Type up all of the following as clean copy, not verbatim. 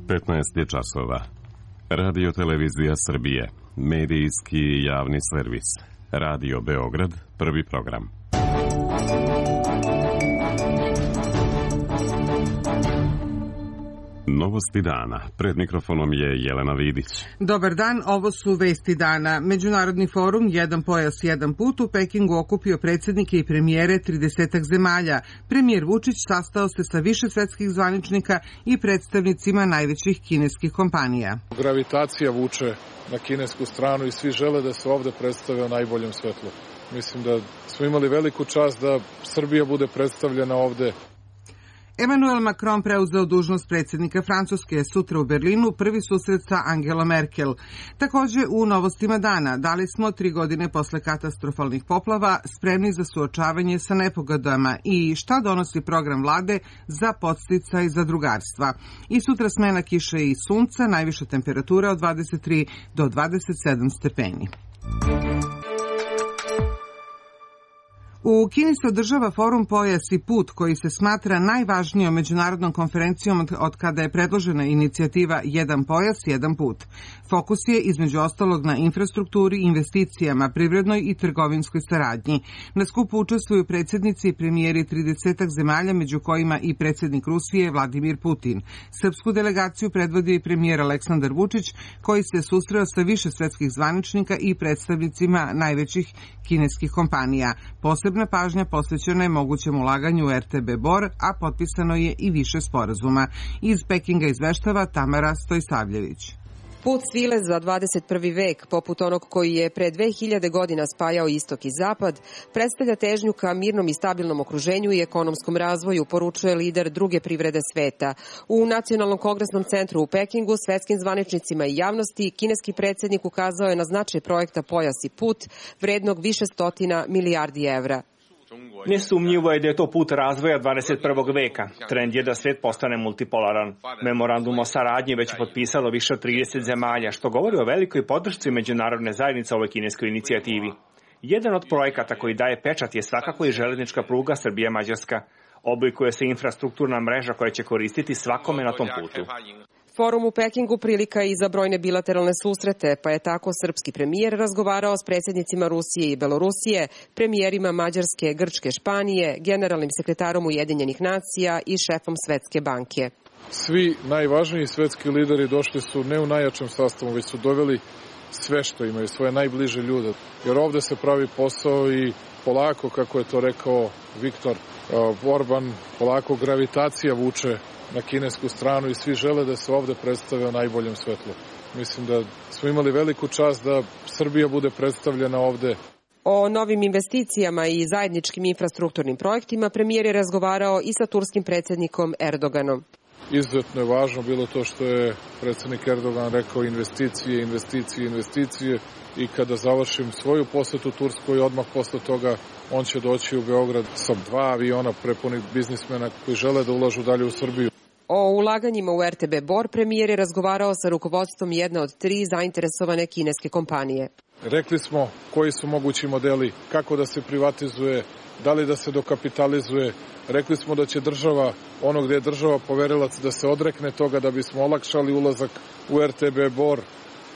15 je časova. Radio Televizija Srbije, medijski javni servis. Radio Beograd, prvi program. Novosti dana. Pred mikrofonom je Jelena Vidić. Dobar dan, ovo su vesti dana. Međunarodni forum Jedan pojas, jedan put u Pekingu okupio predsjednike i premijere 30 zemalja. Premijer Vučić sastao se sa više svetskih zvaničnika i predstavnicima najvećih kineskih kompanija. Gravitacija vuče na kinesku stranu i svi žele da se ovde predstave u najboljem svetlu. Mislim da smo imali veliku čast da Srbija bude predstavljena ovde. Emmanuel Macron preuzeo dužnost predsjednika Francuske sutra u Berlinu, prvi susret sa Angelom Merkel. Također u novostima dana dali smo 3 godine posle katastrofalnih poplava spremni za suočavanje sa nepogodama i šta donosi program vlade za podsticaj zadrugarstva. I sutra smena kiše i sunca, najviša temperatura od 23 do 27 stepeni. U Kini se održava forum Pojas i put, koji se smatra najvažnijom međunarodnom konferencijom od kada je predložena inicijativa Jedan pojas, jedan put. Fokus je između ostalog na infrastrukturi, investicijama, privrednoj i trgovinskoj saradnji. Na skupu učestvuju predsjednici i premijeri 30 zemalja, među kojima i predsjednik Rusije Vladimir Putin. Srpsku delegaciju predvodi premijer Aleksandar Vučić, koji se susreo sa više svetskih zvaničnika i predstavnicima najvećih kineskih kompanija. Posebna pažnja posvećena je mogućem ulaganju u RTB Bor, a potpisano je i više sporazuma. Iz Pekinga izveštava Tamara Stojsavljević. Put svile za 21. vek, poput onog koji je pre 2000 godina spajao istok i zapad, predstavlja težnju ka mirnom i stabilnom okruženju i ekonomskom razvoju, poručuje lider druge privrede sveta. U Nacionalnom kongresnom centru u Pekingu svetskim zvaničnicima i javnosti kineski predsjednik ukazao je na značaj projekta Pojas i put, vrednog više stotina milijardi evra. Nesumnjivo je da je to put razvoja 21. veka. Trend je da svet postane multipolaran. Memorandum o saradnji već potpisalo više od 30 zemalja, što govori o velikoj podršci međunarodne zajednice ovoj kineskoj inicijativi. Jedan od projekata koji daje pečat je svakako i železnička pruga Srbija-Mađarska. Oblikuje se infrastrukturna mreža koja će koristiti svakome na tom putu. Forum u Pekingu prilika je i za brojne bilateralne susrete, pa je tako srpski premijer razgovarao s predsjednicima Rusije i Belorusije, premijerima Mađarske, Grčke, Španije, generalnim sekretarom Ujedinjenih nacija i šefom Svetske banke. Svi najvažniji svetski lideri došli su ne u najjačem sastavu, već su doveli sve što imaju, svoje najbliže ljude. Jer ovde se pravi posao i polako, kako je to rekao Viktor Orban, polako gravitacija vuče na kinesku stranu i svi žele da se ovde predstave u najboljem svetlu. Mislim da smo imali veliku čast da Srbija bude predstavljena ovde. O novim investicijama i zajedničkim infrastrukturnim projektima premijer je razgovarao i sa turskim predsjednikom Erdoganom. Izuzetno je važno bilo to što je predsjednik Erdogan rekao investicije, investicije, investicije i kada završim svoju posetu Turskoj, odmah posle toga on će doći u Beograd sa 2 aviona prepunih biznismena koji žele da ulažu dalje u Srbiju. O ulaganjima u RTB Bor premijer je razgovarao sa rukovodstvom jedne od 3 zainteresovane kineske kompanije. Rekli smo koji su mogući modeli, kako da se privatizuje, da li da se dokapitalizuje. Rekli smo da će država, ono gde je država poverilac, da se odrekne toga da bismo olakšali ulazak u RTB Bor,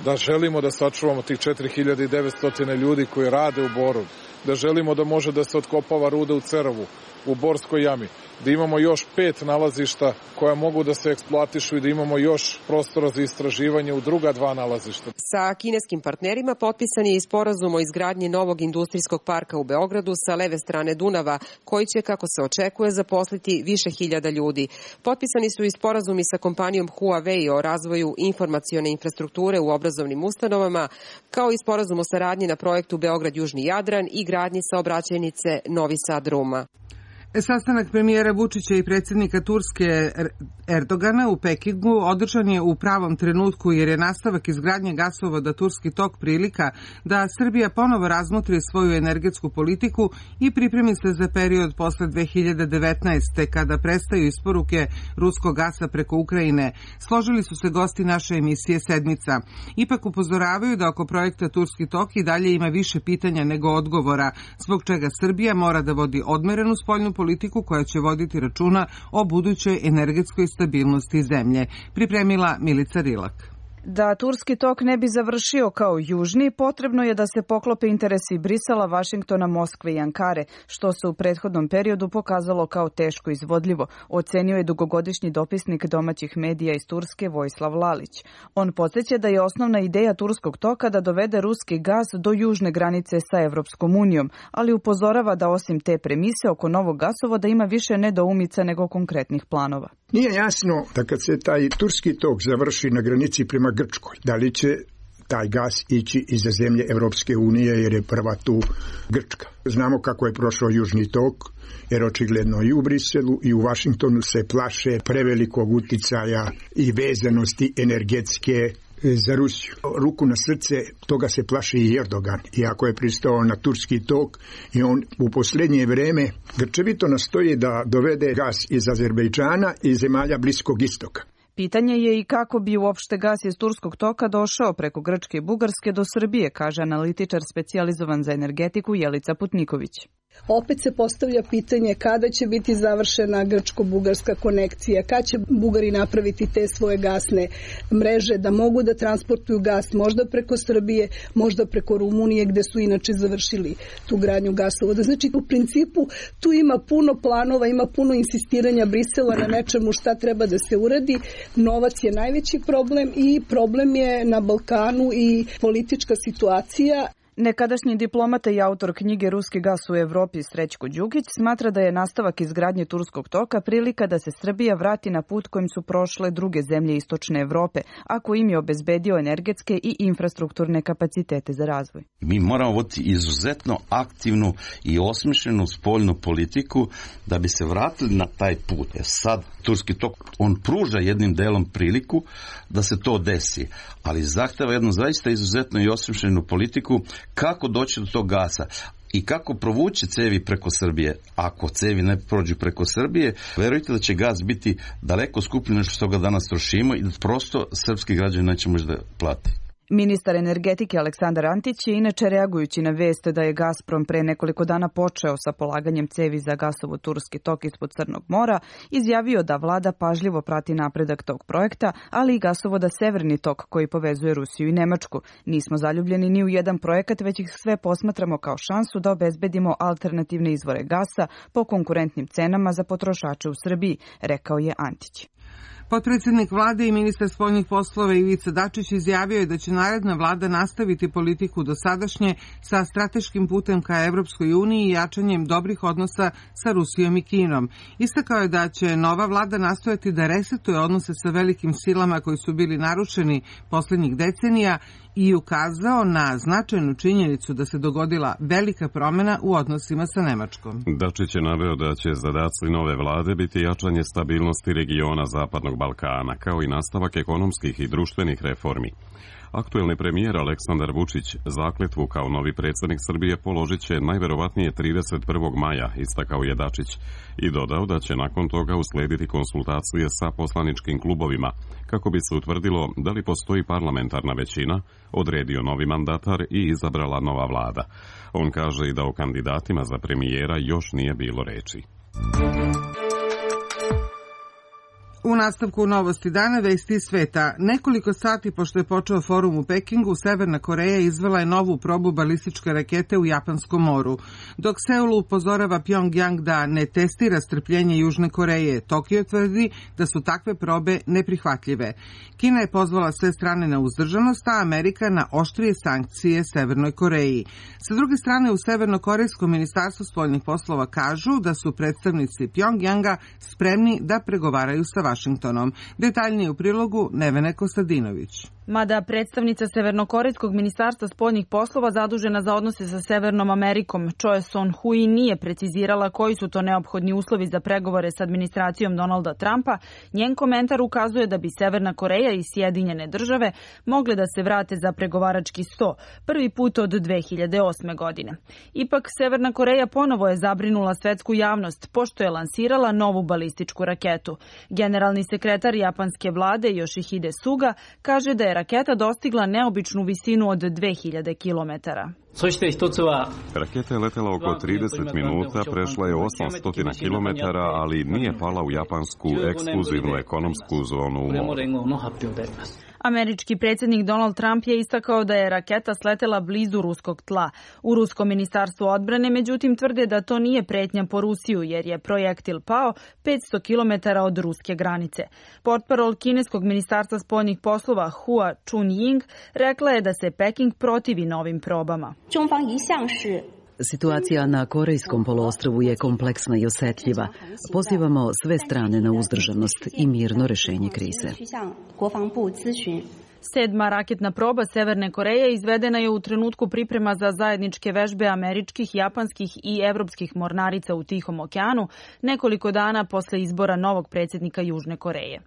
da želimo da sačuvamo tih 4900 ljudi koji rade u Boru, da želimo da može da se otkopava ruda u Cerovu, u Borskoj jami, da imamo još 5 nalazišta koja mogu da se eksploatišu i da imamo još prostora za istraživanje u druga 2 nalazišta. Sa kineskim partnerima potpisan je i sporazum o izgradnji novog industrijskog parka u Beogradu sa leve strane Dunava, koji će, kako se očekuje, zaposliti više hiljada ljudi. Potpisani su i sporazumi sa kompanijom Huawei o razvoju informacione infrastrukture u obrazovnim ustanovama, kao i sporazum o saradnji na projektu Beograd-Južni Jadran i gradnji saobraćajnice Novi Sad-Ruma. Sastanak premijera Vučića i predsjednika Turske Erdogana u Pekingu održan je u pravom trenutku jer je nastavak izgradnje gasovoda Turski tok prilika da Srbija ponovo razmotri svoju energetsku politiku i pripremi se za period posle 2019. kada prestaju isporuke ruskog gasa preko Ukrajine. Složili su se gosti naše emisije Sedmica. Ipak upozoravaju da oko projekta Turski tok i dalje ima više pitanja nego odgovora, zbog čega Srbija mora da vodi odmerenu spoljnu politiku politiku koja će voditi računa o budućoj energetskoj stabilnosti zemlje, pripremila Milica Rilak. Da Turski tok ne bi završio kao južni, potrebno je da se poklope interesi Brisela, Vašingtona, Moskve i Ankare, što se u prethodnom periodu pokazalo kao teško izvodljivo, ocenio je dugogodišnji dopisnik domaćih medija iz Turske Vojislav Lalić. On podsjeća da je osnovna ideja Turskog toka da dovede ruski gas do južne granice sa Evropskom unijom, ali upozorava da osim te premise oko novog gasovoda ima više nedoumica nego konkretnih planova. Nije jasno da kad se taj Turski tok završi na granici prema Grčkoj, da li će taj gas ići iza zemlje Evropske unije jer je prva tu Grčka. Znamo kako je prošao Južni tok, jer očigledno i u Briselu i u Vašingtonu se plaše prevelikog uticaja i vezanosti energetske za Rusiju. Ruku na srce, toga se plaši i Erdogan, iako je pristao na Turski tok i on u posljednje vreme grčevito nastoji da dovede gas iz Azerbejdžana i zemalja Bliskog istoka. Pitanje je i kako bi uopšte gas iz Turskog toka došao preko Grčke i Bugarske do Srbije, kaže analitičar specijalizovan za energetiku Jelica Putniković. Opet se postavlja pitanje kada će biti završena grčko-bugarska konekcija, kada će Bugari napraviti te svoje gasne mreže da mogu da transportuju gas možda preko Srbije, možda preko Rumunije gde su inače završili tu gradnju gasovoda. Znači u principu tu ima puno planova, ima puno insistiranja Brisela na nečemu šta treba da se uradi. Novac je najveći problem i problem je na Balkanu i politička situacija. Nekadašnji diplomata i autor knjige Ruski gas u Evropi Srećko Đukić smatra da je nastavak izgradnje Turskog toka prilika da se Srbija vrati na put kojim su prošle druge zemlje istočne Evrope, ako im je obezbedio energetske i infrastrukturne kapacitete za razvoj. Mi moramo voditi izuzetno aktivnu i osmišljenu spoljnu politiku da bi se vratili na taj put. Sad Turski tok, on pruža jednim delom priliku da se to desi, ali zahteva jednu zaista izuzetno i osmišljenu politiku kako doći do tog gasa i kako provući cevi preko Srbije. Ako cevi ne prođu preko Srbije, verujte da će gas biti daleko skuplji nego što ga danas trošimo i da prosto srpski građani neće možda plati. Ministar energetike Aleksandar Antić je inače reagujući na vest da je Gazprom pre nekoliko dana počeo sa polaganjem cevi za gasovod Turski tok ispod Crnog mora, izjavio da vlada pažljivo prati napredak tog projekta, ali i gasovoda Severni tok koji povezuje Rusiju i Nemačku. Nismo zaljubljeni ni u jedan projekat, već ih sve posmatramo kao šansu da obezbedimo alternativne izvore gasa po konkurentnim cenama za potrošače u Srbiji, rekao je Antić. Potpredsjednik vlade i ministar spoljnih poslova Ivica Dačić izjavio je da će naredna vlada nastaviti politiku dosadašnje sa strateškim putem ka Evropskoj uniji i jačanjem dobrih odnosa sa Rusijom i Kinom. Istakao je da će nova vlada nastojati da resetuje odnose sa velikim silama koji su bili narušeni poslednjih decenija i ukazao na značajnu činjenicu da se dogodila velika promena u odnosima sa Nemačkom. Dačić je naveo da će zadaci nove vlade biti jačanje stabilnosti regiona Zapadnog Balkana, kao i nastavak ekonomskih i društvenih reformi. Aktuelni premijer Aleksandar Vučić zakletvu kao novi predsjednik Srbije položit će najverovatnije 31. maja, istakao je Dačić, i dodao da će nakon toga uslediti konsultacije sa poslaničkim klubovima, kako bi se utvrdilo da li postoji parlamentarna većina, odredio novi mandatar i izabrala nova vlada. On kaže i da o kandidatima za premijera još nije bilo reči. U nastavku novosti dana vesti iz sveta. Nekoliko sati pošto je počeo forum u Pekingu, Severna Koreja izvela je novu probu balističke rakete u Japanskom moru. Dok Seul upozorava Pjongjang da ne testira strpljenje Južne Koreje, Tokio tvrdi da su takve probe neprihvatljive. Kina je pozvala sve strane na uzdržanost, a Amerika na oštrije sankcije Severnoj Koreji. Sa druge strane, u Severnokorejskom ministarstvu spoljnih poslova kažu da su predstavnici Pjongjanga spremni da pregovaraju sa Vašingtonom. Detaljnije u prilogu Nevene Kostadinović. Mada predstavnica Severnokorejskog ministarstva spoljnih poslova zadužena za odnose sa Severnom Amerikom, Choe Son-hui, nije precizirala koji su to neophodni uslovi za pregovore s administracijom Donalda Trumpa, njen komentar ukazuje da bi Severna Koreja i Sjedinjene države mogle da se vrate za pregovarački sto, prvi put od 2008. godine. Ipak, Severna Koreja ponovo je zabrinula svetsku javnost, pošto je lansirala novu balističku raketu. Generalni sekretar japanske vlade Yoshihide Suga kaže da je raketa dostigla neobičnu visinu od 2000 kilometara. Raketa je letela oko 30 minuta, prešla je 800 km, ali nije pala u japansku ekskluzivnu ekonomsku zonu u moru. Američki predsjednik Donald Trump je istakao da je raketa sletela blizu ruskog tla. U ruskom ministarstvu odbrane, međutim, tvrde da to nije pretnja po Rusiju, jer je projektil pao 500 km od ruske granice. Portparol kineskog ministarstva spoljnih poslova Hua Chunying rekla je da se Peking protivi novim probama. Situacija na Korejskom poluostrvu je kompleksna i osjetljiva. Pozivamo sve strane na uzdržanost i mirno rešenje krize. 7. raketna proba Severne Koreje izvedena je u trenutku priprema za zajedničke vežbe američkih, japanskih i evropskih mornarica u Tihom okeanu, nekoliko dana posle izbora novog predsjednika Južne Koreje.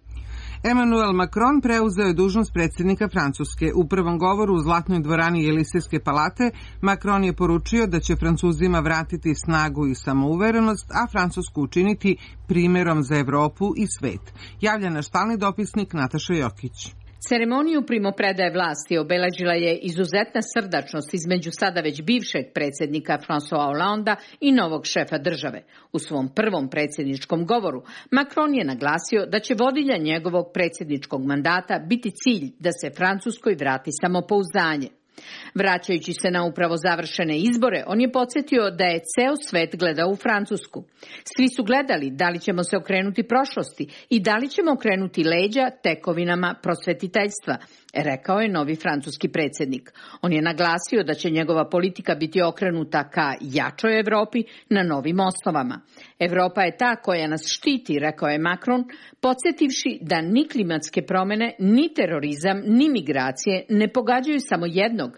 Emmanuel Macron preuzeo je dužnost predsjednika Francuske. U prvom govoru u Zlatnoj dvorani Jelisejske palate Macron je poručio da će Francuzima vratiti snagu i samouverenost, a Francusku učiniti primjerom za Evropu i svet. Javlja naš stalni dopisnik Nataša Jokić. Ceremoniju primopredaje vlasti obeležila je izuzetna srdačnost između sada već bivšeg predsjednika François Hollanda i novog šefa države. U svom prvom predsjedničkom govoru Macron je naglasio da će vodilja njegovog predsjedničkog mandata biti cilj da se Francuskoj vrati samopouzdanje. Vraćajući se na upravo završene izbore, on je podsjetio da je ceo svet gledao u Francusku. Svi su gledali da li ćemo se okrenuti prošlosti i da li ćemo okrenuti leđa tekovinama prosvetiteljstva, rekao je novi francuski predsjednik. On je naglasio da će njegova politika biti okrenuta ka jačoj Evropi na novim osnovama. Evropa je ta koja nas štiti, rekao je Macron, podsjetivši da ni klimatske promjene, ni terorizam, ni migracije ne pogađaju samo jednog,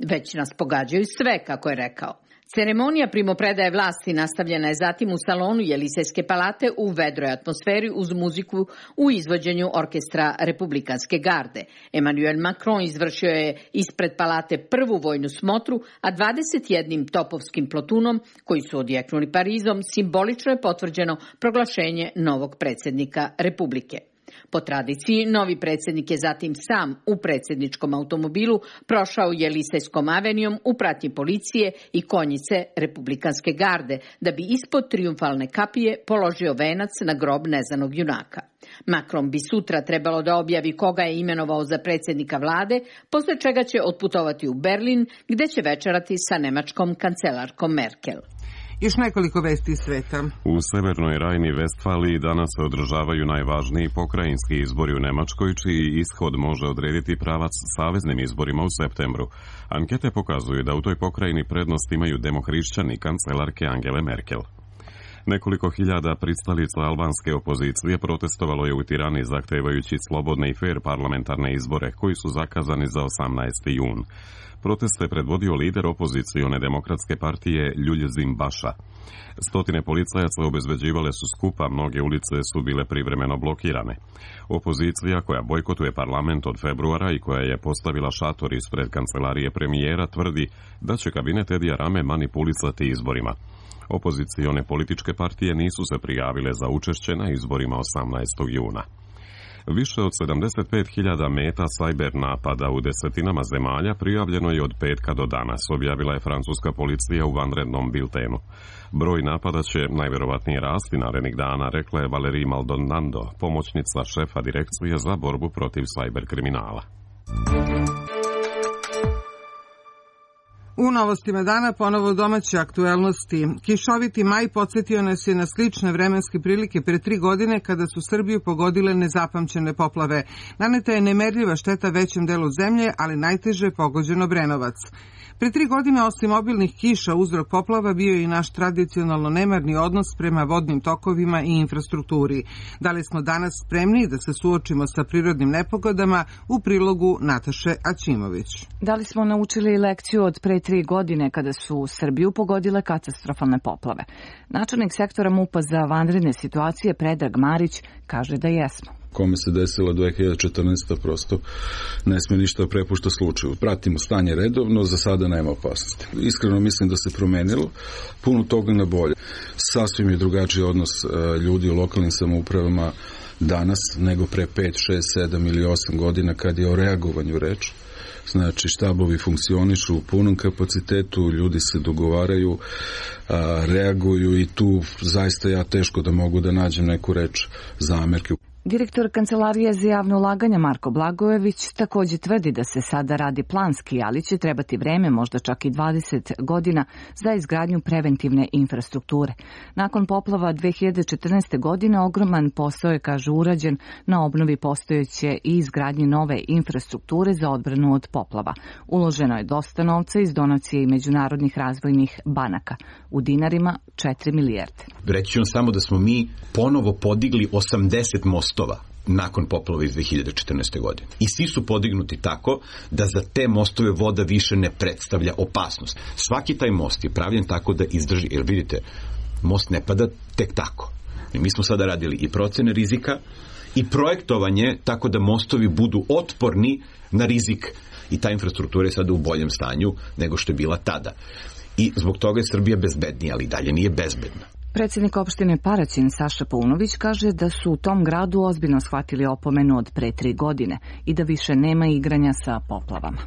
već nas pogađaju sve, kako je rekao. Ceremonija primopredaje vlasti nastavljena je zatim u salonu Jelisejske palate u vedroj atmosferi uz muziku u izvođenju orkestra Republikanske garde. Emmanuel Macron izvršio je ispred palate prvu vojnu smotru, a 21 topovskim plotunom koji su odjeknuli Parizom simbolično je potvrđeno proglašenje novog predsjednika Republike. Po tradiciji, novi predsjednik je zatim sam u predsjedničkom automobilu prošao Jelisejskom avenijom u pratnji policije i konjice Republikanske garde, da bi ispod trijumfalne kapije položio venac na grob nezanog junaka. Macron bi sutra trebalo da objavi koga je imenovao za predsjednika vlade, posle čega će otputovati u Berlin, gde će večerati sa nemačkom kancelarkom Merkel. Još nekoliko vesti iz sveta. U Severnoj Rajni Vestfaliji danas se održavaju najvažniji pokrajinski izbori u Nemačkoj, čiji ishod može odrediti pravac saveznim izborima u septembru. Ankete pokazuju da u toj pokrajini prednost imaju demohrišćani kancelarke Angele Merkel. Nekoliko hiljada pristalica albanske opozicije protestovalo je u Tirani zahtevajući slobodne i fair parlamentarne izbore koji su zakazani za 18. jun. Proteste predvodio lider opozicione demokratske partije Ljuljezim Baša. Stotine policajaca obezbeđivale su skupa, mnoge ulice su bile privremeno blokirane. Opozicija koja bojkotuje parlament od februara i koja je postavila šator ispred kancelarije premijera tvrdi da će kabinet Edija Rame manipulisati izborima. Opozicione političke partije nisu se prijavile za učešće na izborima 18. juna. Više od 75.000 meta sajber napada u desetinama zemalja prijavljeno je od petka do danas, objavila je francuska policija u vanrednom biltenu. Broj napada će najverovatnije rasti narednih dana, rekla je Valérie Maldonado, pomoćnica šefa direkcije za borbu protiv sajber kriminala. U novostima dana ponovo domaće aktuelnosti. Kišoviti maj podsjetio nas je na slične vremenske prilike pre 3 godine kada su Srbiju pogodile nezapamćene poplave. Naneta je nemerljiva šteta većem delu zemlje, ali najteže pogođen Obrenovac. Pre 3 godine, osim obilnih kiša, uzrok poplava bio je i naš tradicionalno nemarni odnos prema vodnim tokovima i infrastrukturi. Da li smo danas spremni da se suočimo sa prirodnim nepogodama, u prilogu Nataše Aćimović. Da li smo naučili lekciju od pre 3 godine kada su Srbiju pogodile katastrofalne poplave? Načelnik sektora MUP-a za vanredne situacije Predrag Marić kaže da jesmo. Kome se desila 2014. prosto ne sme ništa prepušta slučaju. Pratimo stanje redovno, za sada nema opasnosti. Iskreno mislim da se promenilo puno toga na bolje. Sasvim je drugačiji odnos ljudi u lokalnim samoupravama danas nego pre 5, 6, 7 ili 8 godina kad je o reagovanju reč. Znači, štabovi funkcionišu u punom kapacitetu, ljudi se dogovaraju, reaguju i tu zaista ja teško da mogu da nađem neku reč zamerke. Direktor Kancelarije za javno ulaganja Marko Blagojević takođe tvrdi da se sada radi planski, ali će trebati vreme, možda čak i 20 godina, za izgradnju preventivne infrastrukture. Nakon poplava 2014. godine ogroman posao je, kaže, urađen na obnovi postojeće i izgradnji nove infrastrukture za odbranu od poplava. Uloženo je dosta novca iz donacije i međunarodnih razvojnih banaka. U dinarima 4 milijarde. Reći ću vam samo da smo mi ponovo podigli 80 mostova nakon poplava iz 2014. godine. I svi su podignuti tako da za te mostove voda više ne predstavlja opasnost. Svaki taj most je pravljen tako da izdrži, jer vidite, most ne pada tek tako. I mi smo sada radili i procene rizika i projektovanje tako da mostovi budu otporni na rizik i ta infrastruktura je sada u boljem stanju nego što je bila tada. I zbog toga je Srbija bezbednija, ali dalje nije bezbedna. Predsjednik opštine Paraćin Saša Paunović kaže da su u tom gradu ozbiljno shvatili opomenu od pre 3 godine i da više nema igranja sa poplavama.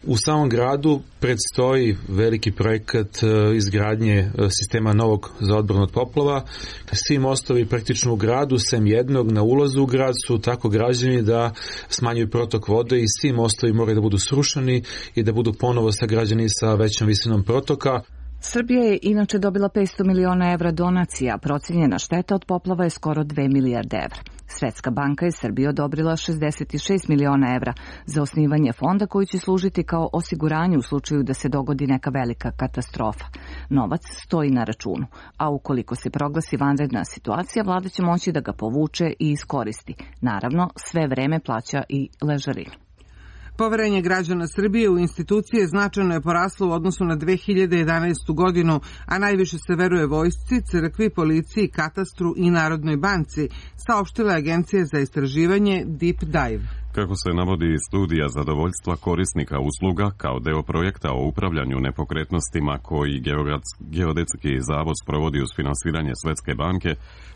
U samom gradu predstoji veliki projekat izgradnje sistema novog za odbranu od poplava. Svi mostovi praktično u gradu, sem jednog na ulazu u grad, su tako građeni da smanjuju protok vode i svi mostovi moraju da budu srušeni i da budu ponovo sagrađeni sa većom visinom protoka. Srbija je inače dobila 500 miliona evra donacija, procijenjena šteta od poplava je skoro 2 milijarde evra. Svetska banka je Srbiji odobrila 66 miliona evra za osnivanje fonda koji će služiti kao osiguranje u slučaju da se dogodi neka velika katastrofa. Novac stoji na računu, a ukoliko se proglasi vanredna situacija, vlada će moći da ga povuče i iskoristi. Naravno, sve vreme plaća i ležarinu. Poverenje građana Srbije u institucije značajno je poraslo u odnosu na 2011. godinu, a najviše se veruje vojsci, crkvi, policiji, katastru i Narodnoj banci, saopštila je Agencija za istraživanje Deep Dive. Kako se navodi studija zadovoljstva korisnika usluga kao deo projekta o upravljanju nepokretnostima koji Geodetski zavod sprovodi uz finansiranje Svetske banke,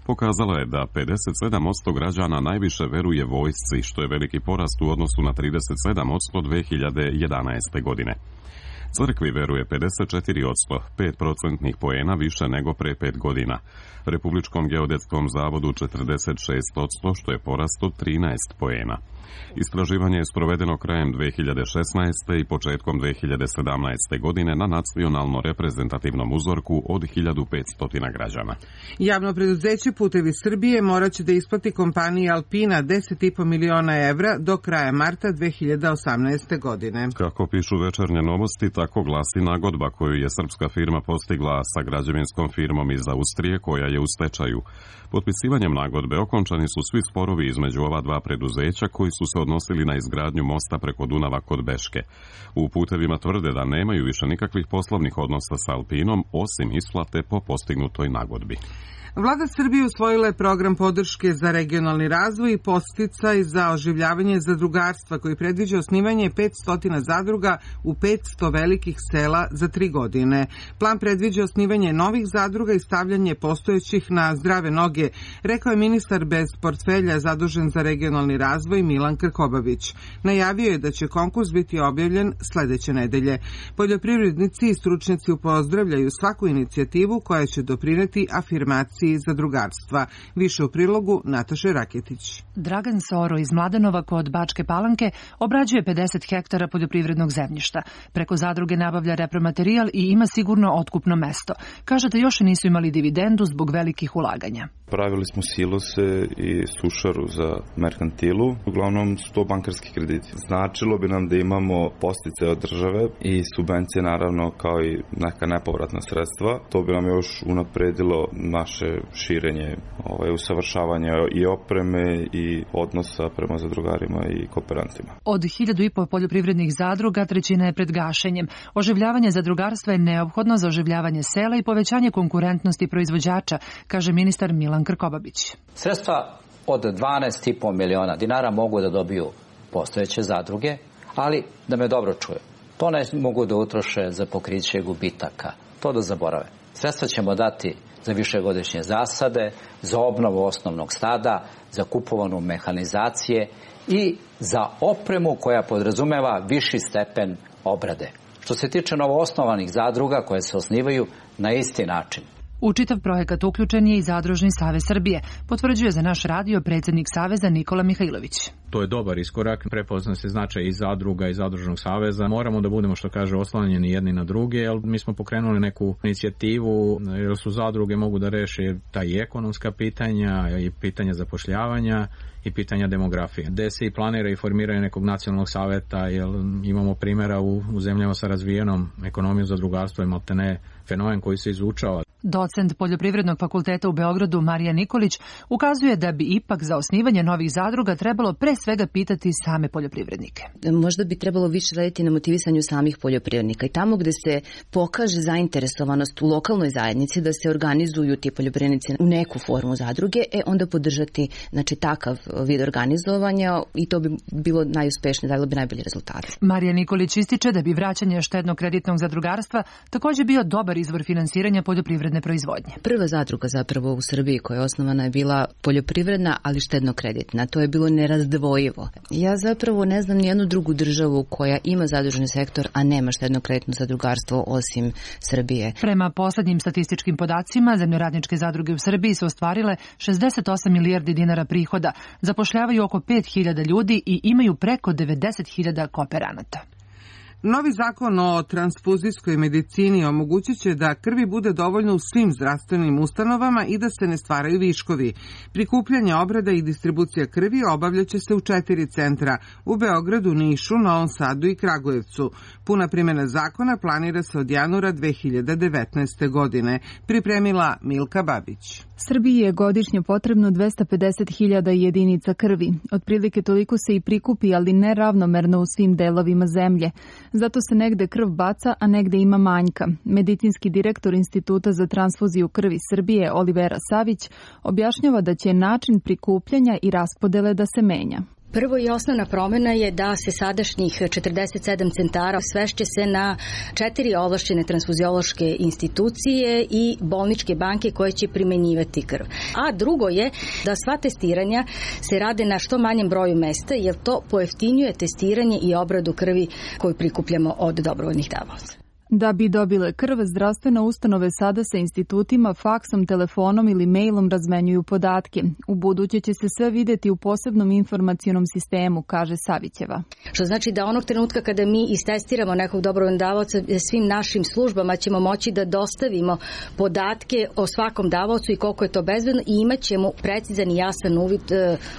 pokazala je da 57% građana najviše veruje vojsci, što je veliki porast u odnosu na 37% 2011. godine. Crkvi veruje 54%, 5% poena više nego pre 5 godina. Republičkom geodetskom zavodu 46%, što je porast od 13 poena. Istraživanje je sprovedeno krajem 2016. i početkom 2017. godine na nacionalno reprezentativnom uzorku od 1500 građana. Javno preduzeće Putevi Srbije morat će da isplati kompaniji Alpina 10,5 miliona evra do kraja marta 2018. godine. Kako pišu Večernje novosti, tako glasi nagodba koju je srpska firma postigla sa građevinskom firmom iz Austrije koja je u stečaju. Potpisivanjem nagodbe okončani su svi sporovi između ova dva preduzeća koji su se odnosili na izgradnju mosta preko Dunava kod Beške. U Putevima tvrde da nemaju više nikakvih poslovnih odnosa sa Alpinom osim isplate po postignutoj nagodbi. Vlada Srbije usvojila je program podrške za regionalni razvoj i podsticaj za oživljavanje zadrugarstva koji predviđa osnivanje 500 zadruga u 500 velikih sela za 3 godine. Plan predviđa osnivanje novih zadruga i stavljanje postojećih na zdrave noge, rekao je ministar bez portfelja zadužen za regionalni razvoj Milan Krkobabić. Najavio je da će konkurs biti objavljen sledeće nedelje. Poljoprivrednici i stručnjaci pozdravljaju svaku inicijativu koja će doprineti afirmaciji zadrugarstva. Više u prilogu Nataše Raketić. Dragan Soro iz Mladenova kod Bačke Palanke obrađuje 50 hektara poljoprivrednog zemljišta. Preko zadruge nabavlja repromaterijal i ima sigurno otkupno mesto. Kaže da još nisu imali dividendu zbog velikih ulaganja. Pravili smo silose i sušaru za merkantilu. Uglavnom su to bankarski krediti. Značilo bi nam da imamo podsticaje od države i subvencije naravno kao i neka nepovratna sredstva. To bi nam još unapredilo naše širenje, usavršavanje i opreme i odnosa prema zadrugarima i kooperantima. Od 1500 poljoprivrednih zadruga trećina je pred gašenjem. Oživljavanje zadrugarstva je neophodno za oživljavanje sela i povećanje konkurentnosti proizvođača, kaže ministar Milan Krkobabić. Sredstva od 12,5 miliona dinara mogu da dobiju postojeće zadruge, ali da me dobro čuje, to ne mogu da utroše za pokriće gubitaka. To da zaborave. Sredstva ćemo dati za višegodišnje zasade, za obnovu osnovnog stada, za kupovanu mehanizacije i za opremu koja podrazumeva viši stepen obrade. Što se tiče novoosnovanih zadruga koje se osnivaju na isti način. U čitav projekat uključen je i Zadružni savez Srbije, potvrđuje za naš radio predsjednik Saveza Nikola Mihajlović. To je dobar iskorak, prepozna se značaj i zadruga i Zadružnog saveza. Moramo da budemo, što kaže, oslanjeni jedni na druge, jer mi smo pokrenuli neku inicijativu, jer su zadruge mogu da reše ta i ekonomska pitanja, i pitanja zapošljavanja, i pitanja demografije. Gde se i planira i formiranje nekog nacionalnog saveta, jer imamo primjera u zemljama sa razvijenom ekonomijom zadrugarstva i maltene fenomen koji se izučava. Docent Poljoprivrednog fakulteta u Beogradu Marija Nikolić ukazuje da bi ipak za osnivanje novih zadruga trebalo pre svega pitati same poljoprivrednike. Možda bi trebalo više raditi na motivisanju samih poljoprivrednika i tamo gde se pokaže zainteresovanost u lokalnoj zajednici da se organizuju ti poljoprivrednici u neku formu zadruge, onda podržati takav vid organizovanja i to bi bilo najuspešnije, dalo bi najbolji rezultat. Marija Nikolić ističe da bi vraćanje štedno-kreditnog zadrugarstva također bio dobar izvor finansiranja poljoprivredne proizvodnje. Prva zadruga zapravo u Srbiji koja je osnovana je bila poljoprivredna, ali štedno-kreditna. To je bilo nerazdvojivo. Ja zapravo ne znam nijednu drugu državu koja ima zadružni sektor, a nema štedno-kreditno zadrugarstvo osim Srbije. Prema poslednjim statističkim podacima, zemljoradničke zadruge u Srbiji su ostvarile 68 milijardi dinara prihoda, zapošljavaju oko 5.000 ljudi i imaju preko 90.000 kooperanata. Novi zakon o transfuzijskoj medicini omogućit će da krvi bude dovoljno u svim zdravstvenim ustanovama i da se ne stvaraju viškovi. Prikupljanje, obrada i distribucija krvi obavljaće se u 4 centra, u Beogradu, Nišu, Novom Sadu i Kragujevcu. Puna primjena zakona planira se od januara 2019. godine. Pripremila Milka Babić. Srbiji je godišnje potrebno 250.000 jedinica krvi. Otprilike toliko se i prikupi, ali ne ravnomerno u svim delovima zemlje. Zato se negde krv baca, a negde ima manjka. Medicinski direktor Instituta za transfuziju krvi Srbije, Olivera Savić, objašnjava da će način prikupljanja i raspodele da se menja. Prvo i osnovna promjena je da se sadašnjih 47 centara svešće se na 4 ovlašćene transfuziološke institucije i bolničke banke koje će primenjivati krv. A drugo je da sva testiranja se rade na što manjem broju mesta, jer to pojeftinjuje testiranje i obradu krvi koju prikupljamo od dobrovoljnih davaoca. Da bi dobile krv, zdravstvene ustanove sada sa institutima, faksom, telefonom ili mailom razmenjuju podatke. U buduće će se sve videti u posebnom informacionom sistemu, kaže Savićeva. Što znači da onog trenutka kada mi istestiramo nekog dobrovoljnog davaoca, svim našim službama ćemo moći da dostavimo podatke o svakom davaocu i koliko je to bezbedno i imat ćemo precizan i jasan uvid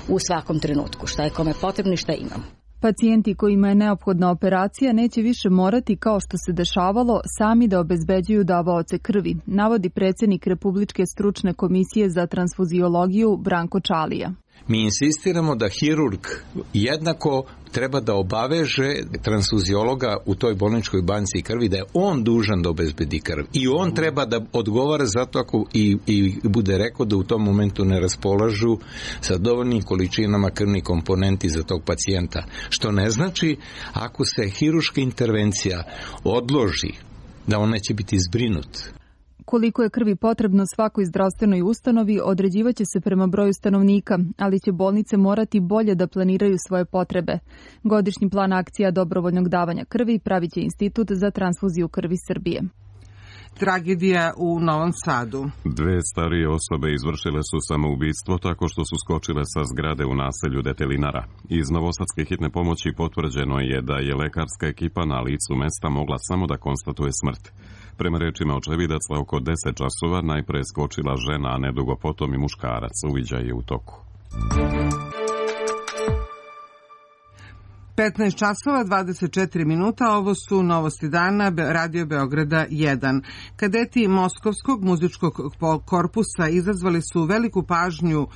u svakom trenutku, šta je kome potrebno i šta imamo. Pacijenti kojima je neophodna operacija neće više morati, kao što se dešavalo, sami da obezbeđuju davaoce krvi, navodi predsjednik Republičke stručne komisije za transfuziologiju Branko Čalija. Mi insistiramo da hirurg jednako treba da obaveže transfuziologa u toj bolničkoj banci krvi da je on dužan da obezbedi krv. I on treba da odgovara zato ako i bude rekao da u tom momentu ne raspolažu sa dovoljnim količinama krvnih komponenti za tog pacijenta. Što ne znači ako se hiruška intervencija odloži da on neće biti zbrinut. Koliko je krvi potrebno svakoj zdravstvenoj ustanovi određivaće se prema broju stanovnika, ali će bolnice morati bolje da planiraju svoje potrebe. Godišnji plan akcija dobrovoljnog davanja krvi pravit će Institut za transfuziju krvi Srbije. Tragedija u Novom Sadu. 2 starije osobe izvršile su samoubistvo tako što su skočile sa zgrade u naselju Detelinara. Iz novosadske hitne pomoći potvrđeno je da je lekarska ekipa na licu mesta mogla samo da konstatuje smrt. Prema rečima očevidaca, oko 10 časova najpre je skočila žena, a nedugo potom i muškarac. Uviđaj je u toku. 15 časova, 24 minuta, ovo su novosti dana Radio Beograda 1. Kadeti Moskovskog muzičkog korpusa izazvali su veliku pažnju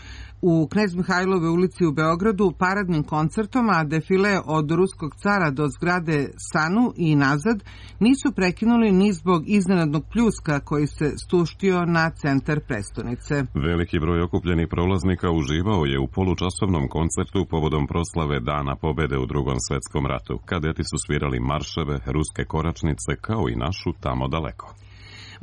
u Knez Mihajlove ulici u Beogradu paradnim koncertom, a defile od ruskog cara do zgrade Sanu i nazad nisu prekinuli ni zbog iznenadnog pljuska koji se stuštio na centar prestonice. Veliki broj okupljenih prolaznika uživao je u polučasovnom koncertu povodom proslave Dana pobede u Drugom svetskom ratu. Kadeti su svirali marševe, ruske koračnice kao i našu Tamo daleko.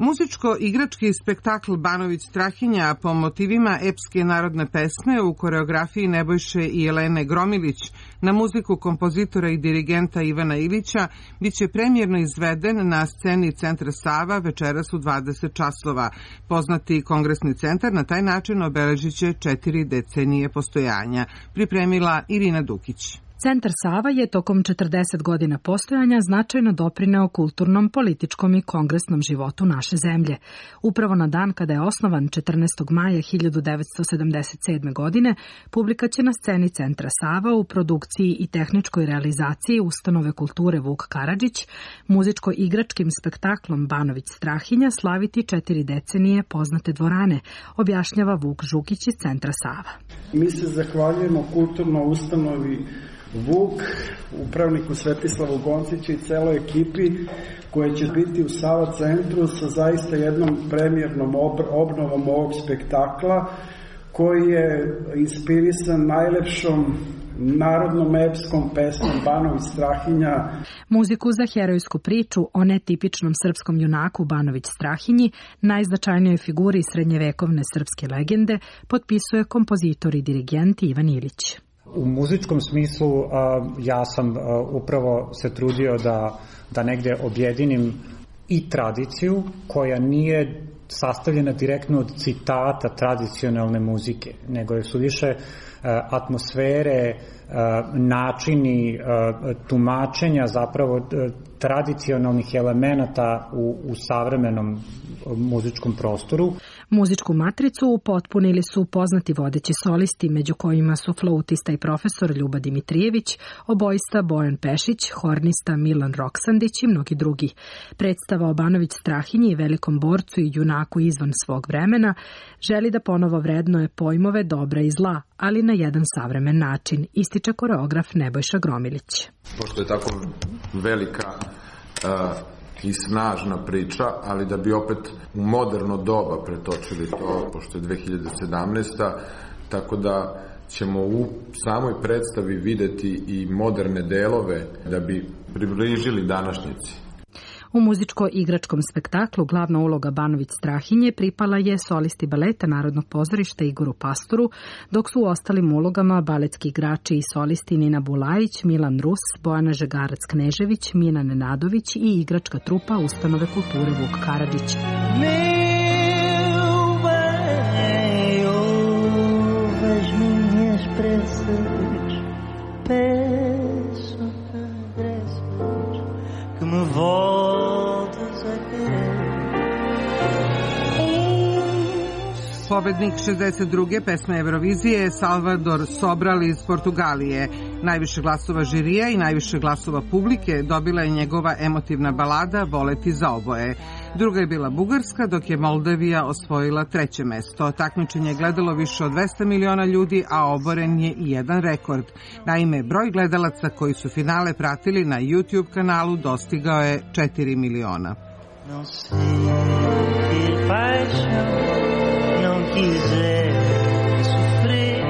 Muzičko-igrački spektakl Banović Strahinja po motivima epske narodne pesme u koreografiji Nebojše i Jelene Gromilić na muziku kompozitora i dirigenta Ivana Ilića biće premijerno izveden na sceni Centra Sava večeras u 20 časova. Poznati kongresni centar na taj način obeležit će 4 decenije postojanja. Pripremila Irina Dukić. Centar Sava je tokom 40 godina postojanja značajno doprineo kulturnom, političkom i kongresnom životu naše zemlje. Upravo na dan kada je osnovan 14. maja 1977. godine, publika će na sceni Centra Sava u produkciji i tehničkoj realizaciji Ustanove kulture Vuk Karadžić muzičko-igračkim spektaklom Banović Strahinja slaviti 4 decenije poznate dvorane, objašnjava Vuk Žukić iz Centra Sava. Mi se zahvaljujemo kulturnoj ustanovi Vuk, upravniku Svetislavu Gonciću i celoj ekipi koja će biti u Sava centru sa zaista jednom premijernom obnovom ovog spektakla koji je inspirisan najlepšom narodnom epskom pesmom Banović Strahinja. Muziku za herojsku priču o netipičnom srpskom junaku Banović Strahinji, najznačajnijoj figuri srednjevekovne srpske legende, potpisuje kompozitor i dirigent Ivan Ilić. U muzičkom smislu ja sam upravo se trudio da negde objedinim i tradiciju koja nije sastavljena direktno od citata tradicionalne muzike, nego su više atmosfere, načini tumačenja zapravo tradicionalnih elemenata u savremenom muzičkom prostoru. Muzičku matricu upotpunili su poznati vodeći solisti, među kojima su flautista i profesor Ljuba Dimitrijević, obojista Bojan Pešić, hornista Milan Roksandić i mnogi drugi. Predstava o Banović Strahinji i velikom borcu i junaku izvan svog vremena želi da ponovo vrednuje pojmove dobra i zla, ali na jedan savremen način, ističe koreograf Nebojša Gromilić. Pošto je tako velika i snažna priča, ali da bi opet u moderno doba pretočili to, pošto je 2017. Tako da ćemo u samoj predstavi videti i moderne delove da bi približili današnjici. U muzičko-igračkom spektaklu glavna uloga Banović Strahinje pripala je solisti baleta Narodnog pozorišta Igoru Pastoru, dok su u ostalim ulogama baletski igrači i solisti Nina Bulajić, Milan Rus, Bojana Žegarac-Knežević, Mina Nenadović i igračka trupa Ustanove kulture Vuk Karadžić. Pobednik 62. pesme Eurovizije je Salvador Sobral iz Portugalije. Najviše glasova žirija i najviše glasova publike dobila je njegova emotivna balada Voleti za oboje. Druga je bila Bugarska, dok je Moldavija osvojila 3. mesto. Takmičenje je gledalo više od 200 miliona ljudi, a oboren je i jedan rekord. Naime, broj gledalaca koji su finale pratili na YouTube kanalu dostigao je 4 miliona. Quiser sofrer,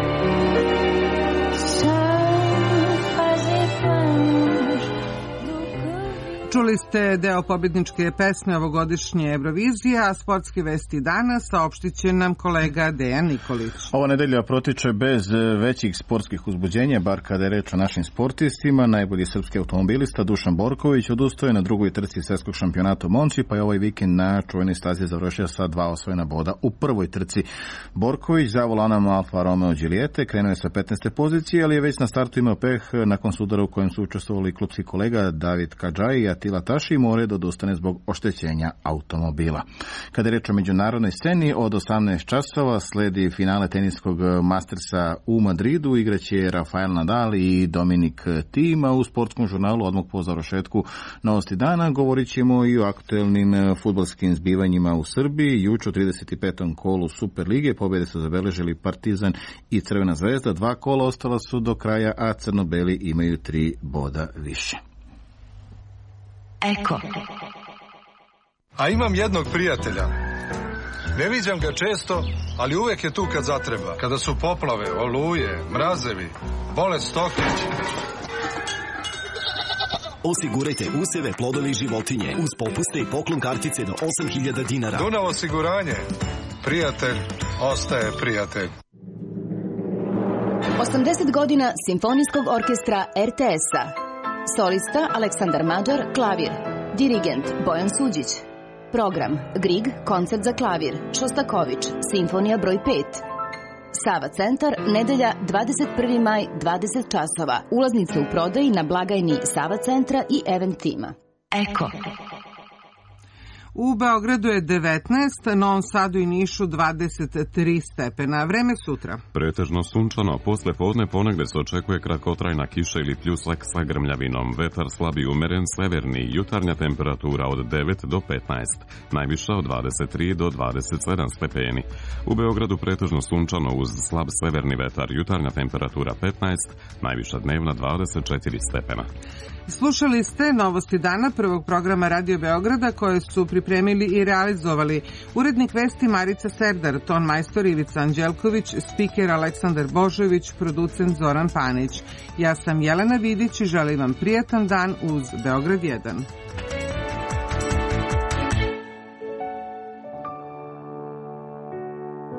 Čuli ste deo pobedničke pesme ovogodišnje Eurovizije, a sportske vesti danas saopštit će nam kolega Dejan Nikolić. Ova nedelja protiče bez većih sportskih uzbuđenja, bar kada je reč o našim sportistima. Najbolji srpski automobilista Dušan Borković odustoje na drugoj trci svetskog šampionata u Monči, pa je ovaj vikend na čuvenoj stazi završio sa 2 osvojena boda u prvoj trci. Borković za volanom Alfa Romeo Giuliette krenuo je sa 15. pozicije, ali je već na startu imao peh nakon sudara u kojem su učestvovali klupski kolega David Kadžaj i Atila Taši, more da odustane zbog oštećenja automobila. Kada je reč o međunarodnoj sceni, od 18 časova sledi finale teniskog Mastersa u Madridu. Igraće Rafael Nadal i Dominik Thiem, a u sportskom žurnalu odmah po završetku novosti dana govorit ćemo i o aktuelnim fudbalskim zbivanjima u Srbiji. Juče u 35. kolu Super lige pobjede su zabeležili Partizan i Crvena zvezda. 2 kola ostala su do kraja, a crno-beli imaju 3 boda više. Eko. A imam jednog prijatelja. Ne viđam ga često, ali uvek je tu kad zatreba. Kada su poplave, oluje, mrazevi, bolest stoke. Osigurajte useve, plodove i životinje uz popuste i poklon kartice do 8.000 dinara. Dunav osiguranje. Prijatelj ostaje prijatelj. 80 godina Simfonijskog orkestra RTS-a. Solista Aleksandar Mađar, klavir. Dirigent Bojan Suđić. Program Grieg, koncert za klavir. Šostaković, simfonija broj 5. Sava centar, nedelja 21. maj, 20 časova. Ulaznice u prodaji na blagajni Sava centra i Event tima. Eko. U Beogradu je 19, Novom Sadu i Nišu 23 stepena. Vreme sutra. Pretežno sunčano, posle podne ponegde se očekuje kratkotrajna kiša ili pljusak sa grmljavinom. Vetar slab i umeren severni, jutarnja temperatura od 9 do 15, najviša od 23 do 27 stepeni. U Beogradu pretežno sunčano uz slab severni vetar, jutarnja temperatura 15, najviša dnevna 24 stepena. Slušali ste novosti dana prvog programa Radio Beograda koje su pripremili i realizovali urednik vesti Marica Serdar, ton majstor Ivica Anđelković, spiker Aleksandar Božović, producent Zoran Panić. Ja sam Jelena Vidić i želim vam prijatan dan uz Beograd 1.